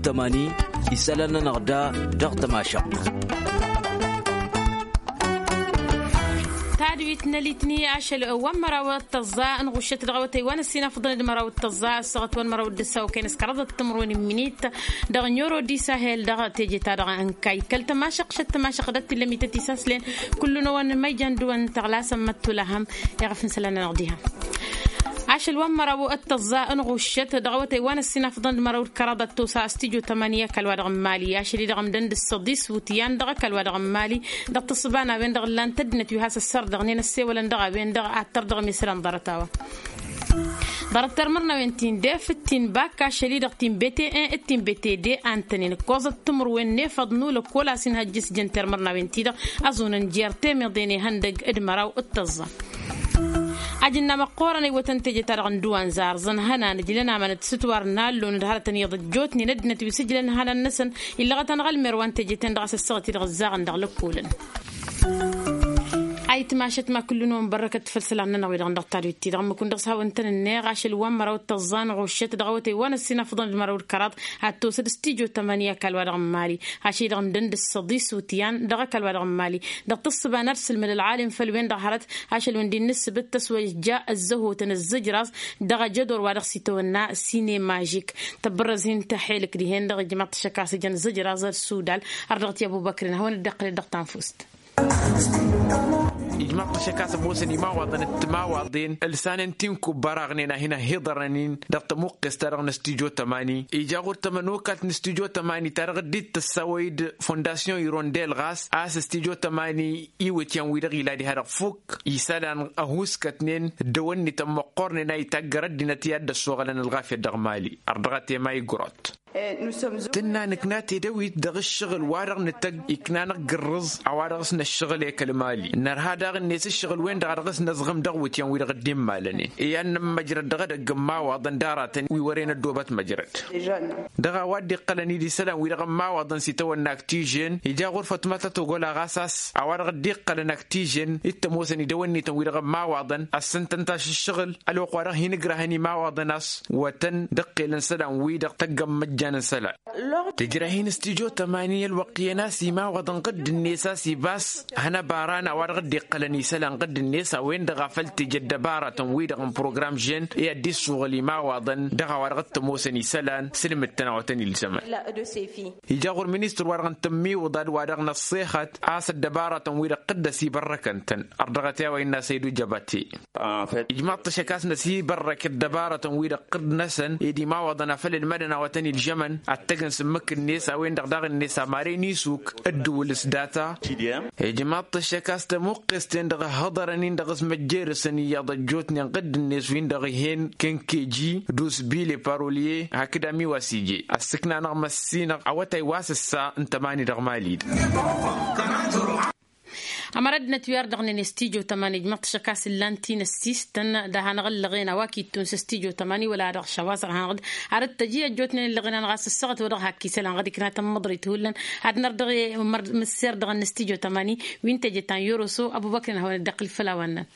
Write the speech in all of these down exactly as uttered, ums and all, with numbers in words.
Tămani isălan-nănăɣ da dăɣ-tămašăɣt. Tadwit n-elitni ašăl wa n-măraw d-tăẓẓa n-ɣuššăt dăɣ-awătay wa n-ăssinafăḍăn d-măraw d-tăẓẓa ăssaɣăt wa n-măraw d-ăssaw kăy-năskăraḍăt timǝrwen n-minit dăɣ-nyoro disahel dăɣ-teje-ta-dăɣ n-kayy kăl-tămašăɣt šăt tămašăɣt dăɣ-t illa mităt isaslen. Kullu n-ăwăn măyjan d-wăn tăɣlasăn măttulăhăm iɣăf n-isălan-nănăɣ diha. Ašăl wa n-măraw d-tăẓẓa n-ɣuššăt dăɣ-awătay wa n-ăssinafăḍăn d-măraw d-kăraḍăt tosa s-tijo tămani ăkall-wa-dăɣ n-mali ašăl-i-dăɣ ǝmdăn d-ǝssăḍis wǝtyan dăɣ-ăkall-wa-dăɣ n-mali dăɣ-tǝssǝba n-a-wen-dăɣ ǝllan tăddinăt wi has-ăssărdăɣnen ăssewălăn dăɣ-a-wen-dăɣ ad-tărdăɣ mesălan ḍarăt-a-wa. Ḍarăt termărnawen ti n-def d-ti n-bakka ašăl-i-dăɣ ti n-bete-en d-ti n-bete-de a ǝntănen ǝkkoẓăt timǝrwen n-efăḍ n-ulăkkol a-s inhăjjǝs jăn termărnawen-ti-dăɣ ăẓunăn jer-temeḍe n-ihăndăg d-măraw d-tăẓẓa. Ajǝnna măqqoorăn ăywătăn teje-ta-dăɣ n-dăwanza ărẓăn hănan ǝjlăn amanăt s-ǝtwar n-allon d-hărătăn iyyăḍ ăjjootnen ăddinăt wi s-ǝjlăn hănan-năsăn illăɣăt-anăɣ ălmer wa n-teje-ten-dăɣ a-s ăssaɣăt-i-dăɣ ǝzzaɣăn dăɣ-lăkkolăn. Ayǝtmašăt ma kullu-năwăn bărrăkăt făll-isălan-nănăɣ wi-dăɣ dăɣ-tadwit-ti-dăɣ ǝmmǝk-win-dăɣ s-hawăn-tăn-ǝnneɣ ašăl wa n-măraw d-tăẓẓa n-ɣuššăt dăɣ-awătay wa n-ăssinafăḍăn d-măraw d-kăraḍ ad-t-osăd s-tijo tămani ăkall-wa-dăɣ n-mali ašăl-i-dăɣ ǝmdăn d-ǝssăḍis wǝtyan dăɣ-ăkall-wa-dăɣ n-mali. Dăɣ-tǝssǝba n-ad-sǝlmǝd ălɣalim făll-wen-dăɣ hărăt ašăl-wen dd-inǝssǝbǝt tăswăjja ăzzăhotăn ăzzǝjraẓ dăɣ-ajădor wa dăɣ-s itawănna sinema žik. Tăbbărrăz-hin tăḥelǝk dihen dăɣ-ijmaḍ-t ašăk a-s ǝjăn ăzzǝjraẓ ăssudal. Ardăɣ-t i-ăbubăkrin ad-hawăn-dd-iqqǝlăd dăɣ-tanfust. Ijmaḍ-t ašăk a-s ămoosăn imawaḍăn d-timawaḍen ǝlsanăn tinkubba raɣnen a hin-ăhhiḍărăn-in dăɣ-tămuqqes-ta-dăɣ n-ăstijo tămani. Ija ɣur-tămănokalt n-ăstijo tămani ta dăɣ-dd-tăssawăy d-fondasyon irondel ɣas a-s ăstijo tămani iwǝtyan-wi-dăɣ ila diha-dăɣ fukk isălan ăhuskătnen dd-ăwănnităn măqqornen a itaggăr ăddinăt i-ad-dd-ăssoɣălăn ălɣafyăt dăɣ-mali. Ărdăɣăt i-ema igrot. Tǝnna nǝkna tedăwit dăɣ-ǝššăɣǝl wa-dăɣ nǝtăgg ikna-năɣ gǝrrǝẓ a-wa dăɣ-s năššăɣǝl i-kăl-mali nărha daɣ-net ǝššăɣǝl-wen-dăɣ a dăɣ-s năẓɣǝm dăɣ-iwǝtyan-wi-dăɣ dd-immalănen. I-ad-nǝmmăjrăd dăɣ-edăgg n-imawaḍăn d-aratăn wi wăren ăddoobăt măjrăd. Dăɣ-a-wa dd-iqqălăn-dd isălan-wi-dăɣ n-imawaḍăn s-itawănna aktižen ija ɣur-fătmăt ătogol a ɣas a-s a-wa-dăɣ dd-iqqălăn aktižen. T-ămoosăn idăwănnităn-wi-dăɣ n-imawaḍăn ăssăn-tăn tašǝššăɣǝl ălwăqq wa dăɣ-hin-ǝgrahăn imawaḍăn a-s wătăn d-ǝqqelăn isălan-wi-dăɣ tăggăn imăjjan n-isălan. Tǝjrăh-in s-tijo tămani ălwăqq iyyăn a-s imawaḍăn ɣǝdd-net a-s ibas hănăbaran a-wa-dăɣ dd-iqqălăn isălan ɣǝdd-net a-wen-dăɣ a făl teje ăddăbaratăn-wi-dăɣ n-program žen i-ad-dd-issuɣǝl imawaḍăn dăɣ-a-wa-dăɣ t-ămoosăn isălan s-ǝlmǝd-tăn a-wa tăn-ilzămăn. Ija ɣur-ministăr-wa-dăɣ n-tǝmmiwǝḍad wa dăɣ-năṣṣixăt a-s ăddăbaratăn-wi-dăɣ ɣǝdd-ăsibărrăkăn-tăn. Ărdăɣăt i-a-wa innă săydu jăbate. Ijmaḍ-t ašăk a-s năsibărrăk ăddăbaratăn-wi-dăɣ ɣǝdd-năsăn ed imawaḍăn a făl ǝlmădăn a-wa tăn-ilžămăn ad-tăgg n-sǝmmǝk-net a-wen-dăɣ daɣ-net amare n-isuk ǝddǝwǝl s-data. Ijmaḍ-t ašăk a-s tămuqqes-ten-dăɣ ǝhhăḍărăn-in dăɣ-s măjjerăsăn iyyăḍ ăjjootnen ɣǝdd-net-win-dăɣ ih'-en kenkeji d-usbile parolye hakd amiwas ije ăssǝkna-năɣ măssinăɣ awătay wa s-ǝssa n-tămani dăɣ-mali-dăɣ. Ămăra ăddinăt wi ardăɣnen s-tijo tămani ǝjmăḍ-t ašăk a-s ǝllan tinăssistăn d-ad-hanăɣ-ǝllăɣen a-wa k-ittun s-tijo tămani wăla ad-dăɣ šăwaẓ ad-hanăɣ-dd. Ar t-tăji ăjjootnen ǝllăɣen-anăɣ a-s ăssaɣăt wa dăɣ-hak isălan ɣad ikna tămmăḍrit hullan. Ad-nărdăɣ măsser dăɣ-năs tijo tămani wi n-teje ta n-yoroso ăbubăkrin ad-hawăn-dd-iqqǝl făll-a-wa ǝnnan.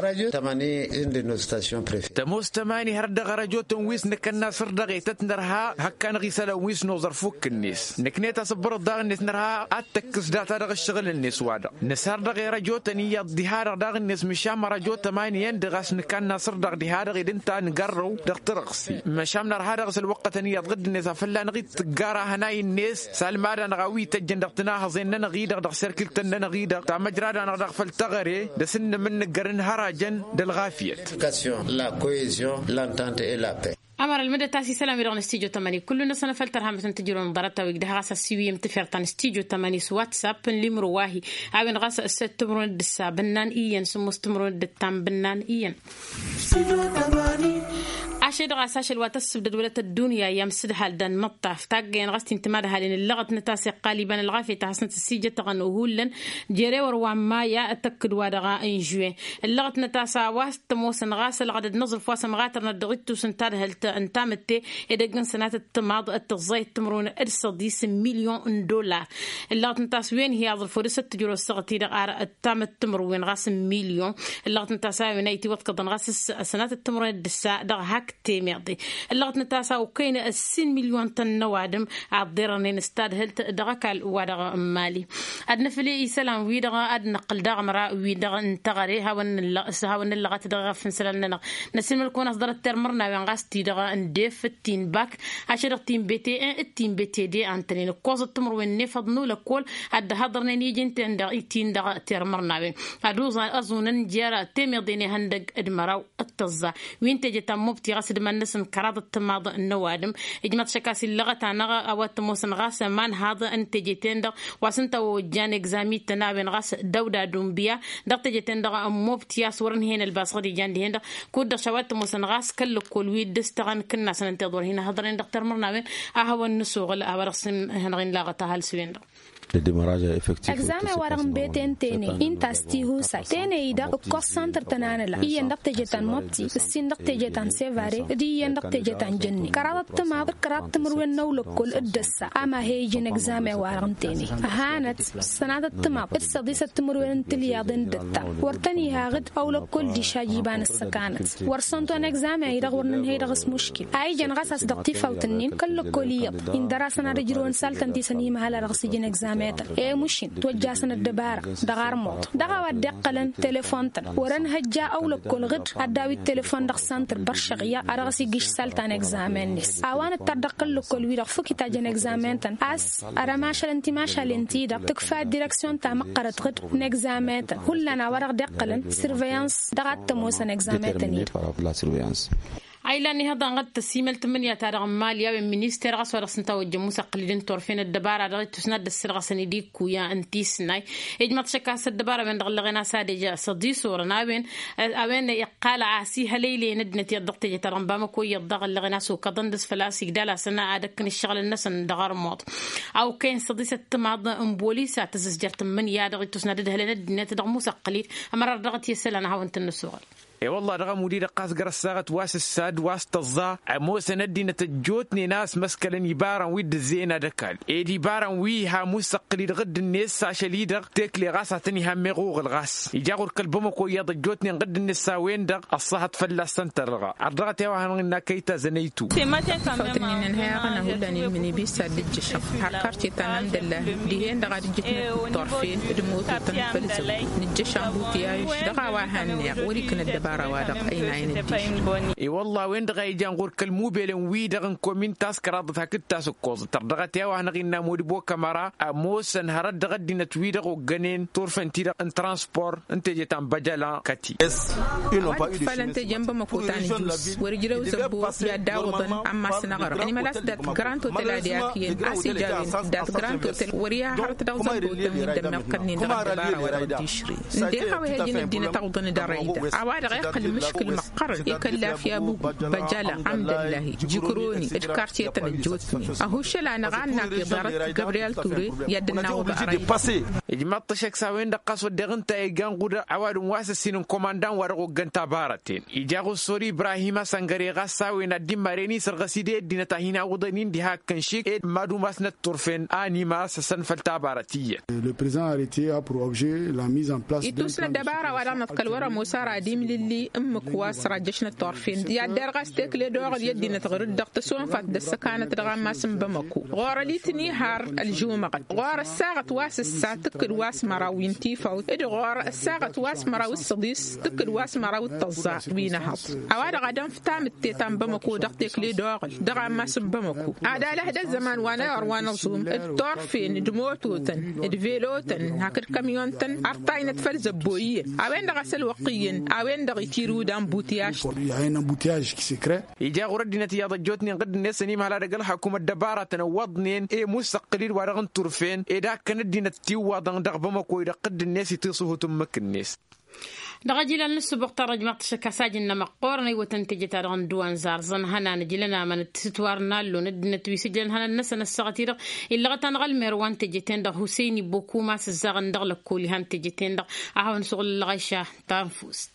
Radiyo tămani indi n-us station prefe. Tămoos tămani hărăt dăɣ-arăjotăn wi s-nǝkănna săr dăɣ-etăt nărha hăkkanăɣ isălan wi s-noẓăr fukk-net nǝknet asǝbbărăḍ daɣ-net nărha ad-tăkkǝs data dăɣ-ǝššăɣǝl-net wa dăɣ. Nǝsar dăɣ-erăjotăn iyyăḍ diha-dăɣ daɣ-net măšan mărăjotăn ma n-iyyăn dăɣ-as nǝkanna săr dăɣ-diha-dăɣ ed ǝnta nǝgărrăw dăɣ-tărăɣsi. Măšan nărha dăɣ-s ălwăqqătăn iyyăḍ ɣǝdd-net a fălla-năɣ-dd tǝggara hănay-net s-almad-anăɣ a-wi tăjjăn dăɣ-tǝnahăẓen-nănăɣ-i-dăɣ dăɣ-serkǝlt-tăn-nănăɣ-i-dăɣ tamăjrad-anăɣ dăɣ-făll-teɣăre d-asǝnnǝm n-nǝggărăn hărajăn d-ălɣafyăt. La cohesion l'entente et la paix. Ămăra ălmădăt a-s isălan-wi-dăɣ n-stijo tămani kullu-năsăn a făl tărha mătăn tǝjrăwăn ḍarăt-a-wi dăɣ-has ăssiwǝyyăm tǝfert ta n-stijo tămani s-whatsapp n-limro wa-hi. A-wen ɣas s-timrun d-ǝssa bǝnnan iyyăn s-ǝmmos timrun d-ǝttam bǝnnan iyyăn. Ašăl-i-dăɣ a-s ašăl wa tăssǝbdăd wălăt ăddunya i-amsǝdhal d-anmăṭṭaf taggăyăn ɣas t-intǝm adhalen ǝllăɣătnăt a-s iqqal iba n-ălɣafyăt a hasnăt ăssijătăɣăn uhullan. Jere wăr wa n-maya tăkkǝd-wa-dăɣ n-žuwe ǝllăɣătnăt a-s a-wa s-tămoosăn ɣas ălɣădăd n-aẓrǝf wa s-ămɣatărnăt dăɣ-ittus n-tadhălt n-tamǝtte edăgg n-sănatăt timaḍ d-tǝẓẓayăt timrun d-săḍis n-milyon n-dollar. Ǝllăɣătnăt a-s wen hi-aẓrǝf wăr dăr-s ăttǝjrăw ăssăɣăt-i-dăɣ ar ăttamăt timrǝwen ɣas n-milyon. Ǝllăɣătnăt a-s a-wen a itiwăḍkăḍăn ɣas s-sănatăt timrun d-ǝssa dăɣ-hak Temeḍe ǝllăɣăt n-tasa okăyăn ǝssin milyon-tăn n-ăwadǝm a ăḍḍerănen s-tadhǝlt dăɣ-ăkall-wa-dăɣ n-mali. Ad-nǝfle isălan-wi-dăɣ ad-năqqǝl daɣ ămăra-wi-dăɣ n-teɣăre hawăn-nǝllăɣăt dăɣ-iɣăf n-isălan-nănăɣ. Năsiilmăl-kăwăn a-s ḍarăt tirmǝrnawen ɣas ti-dăɣ n-def d-ti n-bak ašăl dăɣ-ti n-bete-en d-ti n-bete-de a-nătănen ǝkkoẓăt timǝrwen n-efăḍ n-ulăkkol ad-dd-hăḍărnen iji-ten-dăɣ i-tin-dăɣ tirmǝrnawen. Ad-uẓan ăẓunăn jer-temeḍe n-ihăndăg d-măraw d-tăẓẓa wi n-teje ta n-mobti ɣas d-iman-năsăn kăraḍăt timaḍ n-ăwadǝm. Ijmăḍ šăkk a-s illăɣăt-anăɣ a-wa t-ămoosăn ɣas imanhaḍ n-teje-ten-dăɣ wa s-ǝnta a ojjan egzami-tăn a-wen ɣas dăw-da dunbiya dăɣ-teje-ten-dăɣ n-mobti a-s wăr-ǝnhăyăn ălbas ɣǝd ijan dihen-dăɣ. Kud-dăɣ šawa t-ămoosăn ɣas kăl-lăkkol wi dd-ǝstăɣăn kǝnnasăn ǝnta iḍorhin ihăḍăren dăɣ-termărnawen a hawăn-nǝsuɣǝl a-wa dăɣ-săn-hănăɣ-in laɣăt ahăl s-wen-dăɣ. Egzame-wa-dăɣ n-bete n-tene inta s-tihusay tene-i-dăɣ ǝkkoẓ santăr tănanăla iyyăn dăɣ-teje ta n-mobti ǝssin dăɣ-teje ta n-sevare d-iyyăn dăɣ-teje ta n-jănne kăraḍăt timaḍ d-kăraḍ timǝrwen n-ăwlăkkol. Dd-ăssa a ma he-ijăn egzame-wa-dăɣ n-tene ăhanăt sănatăt timaḍ d-săḍisăt timǝrwen n-tilyaḍen d-ǝtta wăr tăn-iha ɣǝd ăwlăkkol diš a jiba n-ǝssăkanăt wăr săntu anegzame-i-dăɣ wăr nǝnhăy dăɣ-s muškil a ijăn ɣas a-s dăɣ-tifawt-nin kăl-lăkkol iyyăḍ indăr-asăn ad-ǝjrǝwăn saltăn-ti s-ănimhăl a dăɣ-s ijăn egzame-tăn i-mušin twăjja-asăn ăddăbara dăɣ-armuḍ dăɣ-a-wa dd-iqqălăn telefon-tăn wăr-ănhăjja ăwlăkkol ɣǝd ad-daw-dd telefon dăɣ-santăr băršăɣya a dăɣ-s igǝš salta n-egzame-net a-wa nǝttar dăɣ-kăl-lăkkol-wi-dăɣ fukit a jăn egzame-tăn a-s ărămašălăn timašalen-ti-dăɣ tǝkfa direksyon ta măqqărăt ɣǝd n-egzame-tăn hullan a-wa dăɣ-dd-iqqălăn surveyans dăɣ-ad-t-ămoosăn egzame-tăn-i-dăɣ. A ilan ihăḍanɣăt tăsimălt n-imǝnǝya-ta-dăɣ n-mali a-wen minister ɣas wa dăɣ-s ǝnta a ojjăn musăqqǝlid n-turfen ăddăbara dăɣ-ittus n-ad-dd-ăssărɣăsăn idikkuya n-tisnay. Ijmăḍ šăkk a-s ăddăbara a-wen-dăɣ ǝllăɣen a-s ad-ej s-ăḍisorăn a-wen a-wen iqqal a-s ihălăylăyăn ăddinăt iyyăḍ dăɣ-teje ta dăɣ-n bamăko iyyăḍ daɣ ǝllăɣen a-s okăḍăn dăɣ-s făl-a-s igdal-asăn ad-ǝkkǝn ǝššăɣǝl-năsăn dăɣ-armuḍ. A okăyăn s-ăḍisăt timaḍ n-bolis a tăzǝzjăr tǝmmǝnǝya dăɣ-ittus n-ad-ǝdhǝlăn ăddinăt dăɣ-musăqqǝlid. Ămăra dăɣ-t i-isălan ad-hawăn-tăn-nǝsuɣăl. E-wălla-ɣ dăɣ-ămudd-i-dăɣ ɣas găr-ăssaɣăt wa s-ǝssa d-wa s-tăẓẓa ămoosăn ăddinăt ăjjootnen a ăsmăskălăn ibarăn wi dd-ǝzzeyăn ad-ăkall ed ibarăn wi iha musăqqǝl-i-dăɣ dd-net s-ašăl-i-dăɣ tekle ɣas ad-tăn-iha ămmeɣ uɣǝl ɣas ija ɣur-kăl-bamăko iyyăḍ ăjjootnen ɣǝdd-net s-a-wen-dăɣ. Ăṣṣahăt fălla-s ăntărăɣa ărdăɣăt i-a-wa hanăɣ-innă kăy-tazănăytu. Tăfawt-nin n-hăyaɣăn a hullan ilmǝn ibisa dd-ǝjjăšăɣ har karce ta n-amdăllah dihen-dăɣ ad-ǝjjǝtnăt turfen d-mototăn făll-zăwwăt nǝjjăš ambutiyayăš dăɣ-a-wa hanneɣ wăr-ikna ăddăbara-wa-dăɣ ăynayăn ăddiš. I-wălla a-wen-dăɣ a ijan ɣur-kăl-mubelăn-wi-dăɣ n-komin ta s-kăraḍăt hakd ta s-ǝkkoẓăt ărdăɣăt i-a-wa hanăɣ-innă modibo kămăra ămoosăn hărăt dăɣ-ăddinăt-wi-dăɣ oggănen turfen-ti-dăɣ n-transpor n-teje ta n-băjăla kăti. Ăwadǝm fălăn teje n-bamăko ta n-ǝjus wăr-ǝjrăw zăbbo i-ad-dawǝḍăn ammas n-aɣrǝm ănimăl a-s dat-grant otel ad-i-akǝyăn a-s ija a-wen dat-grant otel wăr-iha hărăt dăɣ-zăbbo-tăn wi dd-ămmiɣkălnen dăɣ-ăddăbara wa dăɣ-dd-išri. Ǝnta i-ha-wa ihăjăn ăddinăt awǝḍăn d-arăyda a-wa-dăɣ iqqăl mǝškǝl măqqărăn i-kăllaf i-abugu băjăla amdăllahi jikroni d-kartiyătăn ăjjootnen. Ăhuššăl-anăɣ a ǝnnak iḍarăt gabriyel ture i-ad-dd-naɣ oba arăyda. Ijmaḍ-t ăššăk s-a-wen-dăɣ ɣas wădden ǝnta iga n-ɣudăɣ ăwadǝm wa s-ăssin n-komandan wa dăɣ-oggăn tabarăten ija ɣur-sori ibrahim asăngăre ɣas s-a-wen ad-dd-immaren isărɣăs-dd i-ăddinăt a hin-awǝḍăn-in diha ǝkkăn šik ed mad-umasnăt turfen a ănimăr a-s ăsănfăl tabarăt iyyăn. Le president arrete a pour objet la mise en place ittus n-ăddăbara wa dăɣ-năḍkăl wăr-ămoos ara ad-imlǝlli ǝmmǝk wa s-rajjăšnăt turfen i-ad-derɣas tekle d-oɣǝl i-ăddinăt ɣur-dd-dăɣ tăsonfat d-ăssăkanăt dăɣ-ammas n-bamăko ɣur-ălitni har ălžumăɣăt ɣur-ăssaɣăt wa s-ǝssa tǝkkǝd wa s-măraw wi n-tifawt d-ɣur-ăssaɣăt wa s-măraw d-săḍis tǝkkǝd wa s-măraw d-tăẓẓa wi n-ehăḍ. A-wa-dăɣ ad-ănf tamǝtte ta n-bamăko dăɣ-tekle d-oɣǝl dăɣ-ammas n-bamăko ad-alăh d-ăzzăman wa n-ayɣăr wa n-aẓum d-turfen d-mototăn d-velotăn hakd kămyon-tăn ărtaynăt făll-zăbbo iyyăn a-wen-dăɣ a-s ălwăqq iyyăn a-wen-dăɣ itiru d-ambutiyaj-tăn. Ija ɣur-ăddinăt iyyăḍ ăjjootnen ɣǝdd-net ănimhăl ad-ăgg-ălxakum ăddăbaratăn ăwwăḍnen i-musa ǝqqǝl-dd wa-dăɣ n-turfen ed akkăn ăddinăt tiwwaḍăn dăɣ-bamăko-i-dăɣ ɣǝdd-net itiṣuhut ǝmmǝk-net. Dăɣ-ajilal n-ǝssǝbuɣ tarrăjmaɣ-t ašăk a-s ajǝnnăm ăqqoorăn iwwătăn teje-ta-dăɣ n-duwanzar zăn hănan ǝjlăn amănăt s-ǝtwar n-allon ăddinăt wi s-ǝjlăn hănan-năsăn ăssaɣăt-i-dăɣ illăɣăt-anăɣ ălmer wa n-teje-ten-dăɣ huseyn ibbo kuma s-ǝzzaɣăn dăɣ-lăkkol iha n-teje-ten-dăɣ. A hawăn-suɣǝl ălɣăyša ta n-fust.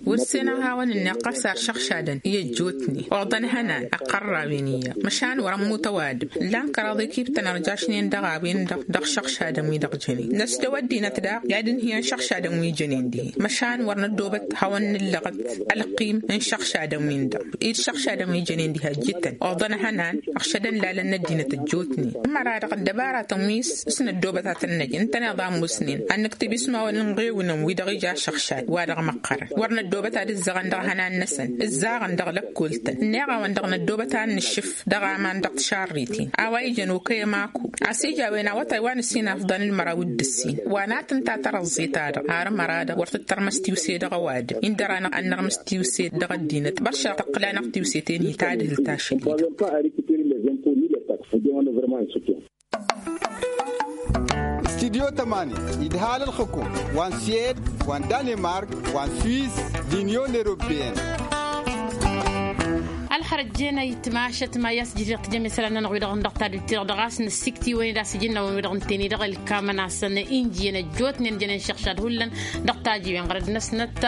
Wăr-senăɣ hawăn-net ɣas ar šăɣšadăn i-ăjjootnen oḍăn ihănan ăqqărrawen iyyăḍ măšan wăr-ămmut ăwadǝm. Ǝllan kăraḍ ikibtăn ărjašnen dăɣ-a-wen-dăɣ dăɣ-šăɣšadăn-wi-dăɣ jănen năsdăw ăddinăt daɣ i-ad-ǝnhǝyăn šăɣšadăn wi jănen dihen măšan wăr năddobăt hawăn-nǝllăɣăt ălqim n-šăɣšadăn-win-dăɣ. Ed šăɣšadăn wi jănen diha ǝjjǝtăn oḍăn ihănan ăɣšădăn lalăn n-ăddinăt ăjjootnen. Ǝmmăra-dăɣ ăddăbaratăn wi s-năddobăt ad-tăn-năj ǝntăneḍ a ămoosnen ad-nǝktǝb ismawăn n-iɣewǝnăn-wi-dăɣ ija ašăɣšad wa dăɣ-măqqărăn wăr năddobăt ad-ǝzzăɣăn dăɣ-ihănan-năsăn ǝzzaɣăn dăɣ-lăkkoltăn ǝnneɣ-awăn-dăɣ năddobăt ad-nǝššǝf dăɣ-aman dăɣ-tišarriten a-wa ijăn okăy ămaku. A-s ija a-wen awătay wa n-ǝssin afḍăn d-măraw d-ǝssin wa n-ad-tǝnta tărăẓẓe-ta-dăɣ har ămăra-dăɣ wăr tǝttărmăs tiwse dăɣ-ăwadǝm-in dăr-anăɣ ad-nărmǝs tiwse dăɣ-ăddinăt băršăɣ tăqqǝl-anăɣ tiwse-ten-hi tadhǝlt ašăl-i-dăɣ. Studyo tămani idhal ălxǝkum wa n-siyed wa n-danemark wa n-swiss d-inyon europeyăn. Ălxărăt jen ayǝtmašăt ma i-a-s jǝjreɣ tijămesălan-nănăɣ wi-dăɣ n-dăɣ tadǝlt-i-dăɣ dăɣ-a-s năssiktiwăn-dd a-s ijǝnnawăn wi-dăɣ ǝnta-en-i-dăɣ ǝlkamăn-asăn injǝyăn ăjjootnen jănen šăɣšad hullan dăɣ-tajiwen ɣărăd-năsnăt.